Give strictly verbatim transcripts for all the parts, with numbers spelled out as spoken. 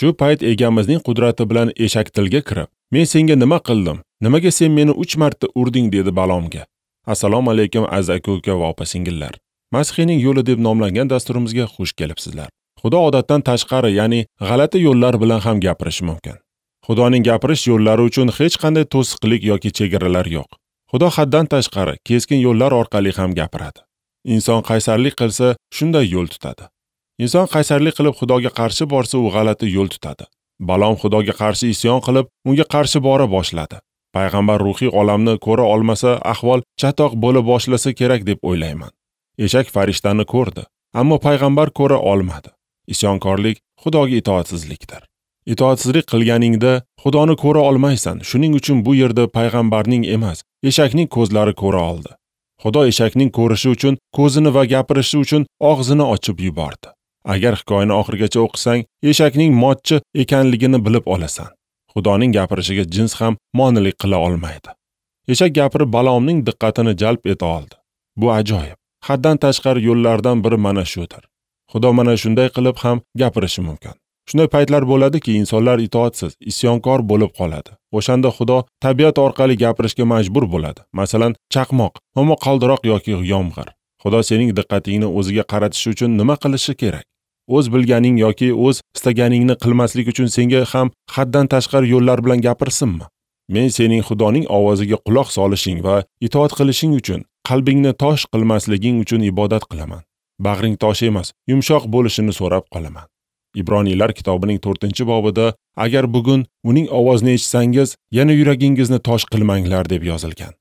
Shu payt egamizning qudrati bilan eshak tilga kirib, "Men senga nima qildim? Nimaga sen meni uch marta urding?" dedi Balomga. Assalomu alaykum aziz aka-uka va opa-singillar. Masihiyning yo'li deb nomlangan dasturimizga xush kelibsizlar. Xudo odatdan tashqari, ya'ni g'alati yo'llar bilan ham gapirishi mumkin. Xudoning gapirish yo'llari uchun hech qanday to'siqlik yoki chegaralar yo'q. Xudo haddan tashqari keskin yo'llar orqali ham gapiradi. Inson qaysarlik qilsa, shunday yo'l tutadi. Inson qaysarlik qilib Xudoga qarshi borsa, u g'alati yo'l tutadi. Balom Xudoga qarshi isyon qilib, unga qarshi bora boshladi. Payg'ambar ruhiy olamni ko'ra olmasa, ahvol chatoq bo'la boshlasa kerak deb o'ylayman. Eshak farishtani ko'rdi, ammo payg'ambar ko'ra olmadi. Isyonkorlik Xudoga itoatsizlikdir. Itoatsizlik qilganingda Xudoni ko'ra olmaysan. Shuning uchun bu yerda payg'ambarning emas, eshakning ko'zlari ko'ra oldi. Xudo eshakning ko'rishi uchun ko'zini va gapirishi uchun og'zini ochib yubordi. Agar hikoyani oxirigacha o'qisang, eshakning motchi ekanligini bilib olasan. Xudoning gapirishiga jins ham monelik qila olmaydi. Eshak gapirib Balomning diqqatini jalb eta oldi. Bu ajoyib. Haddan tashqari yo'llardan biri mana shudir. Xudo mana shunday qilib ham gapirishi mumkin. Shunday paytlar bo'ladiki, insonlar itoatsiz, isyonkor bo'lib qoladi. O'shanda Xudo tabiat orqali gapirishga majbur bo'ladi. Masalan, chaqmoq, momaqaldiroq yoki yomg'ir. Xudo sening diqqatingni o'ziga qaratish uchun nima qilishi kerak? O'z bilganing yoki o'z istaganingni qilmaslik uchun senga ham haddan tashqari yo'llar bilan gapirsinmi? Men sening Xudoning ovoziga quloq solishing va itoat qilishing uchun, qalbingni tosh qilmasliging uchun ibodat qilaman. Bag'ring tosh emas, yumshoq bo'lishini so'rab qolaman. Ibroniylar kitobining to'rtinchi bobida agar bugun uning ovozini eshitsangiz, yana yuragingizni tosh qilmanglar deb yozilgan.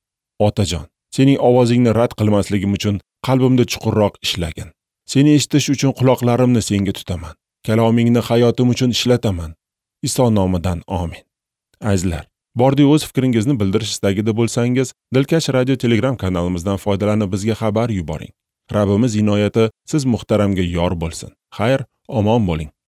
Otajon, sening ovozingni rad qilmasligim uchun qalbimda chuqurroq ishlagin. Seni eshitish uchun quloqlarimni senga tutaman. Kalomingni hayotim uchun ishlataman. Iso nomidan amin. Azizlar, bordi o'z fikringizni bildirish istagida bo'lsangiz, Dilkash radio Telegram kanalimizdan foydalanib bizga xabar yuboring. Rabbimiz inoyati siz muhtaramga yor bo'lsin. Xayr, omon bo'ling.